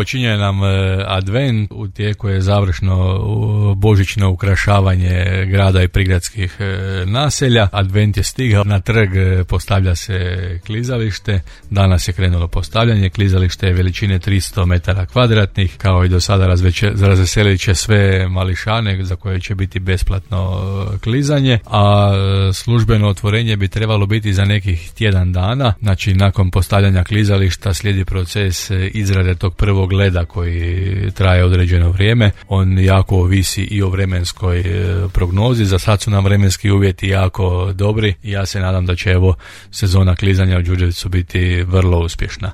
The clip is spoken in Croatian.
počinje nam advent, u tijeku je završno božićno ukrašavanje grada i prigradskih naselja. Advent je stigao, na trg postavlja se klizalište, danas je krenulo postavljanje, klizalište je veličine 300 metara kvadratnih, kao i do sada razveselit će sve mališane za koje će biti besplatno klizanje, a službeno otvorenje bi trebalo biti za nekih tjedan dana. Znači nakon postavljanja klizališta slijedi proces izrade tog prvog leda koji traje određeno vrijeme. On jako ovisi i o vremenskoj prognozi. Za sad su nam vremenski uvjeti jako dobri i ja se nadam da će sezona klizanja u Đurđevcu biti vrlo uspješna.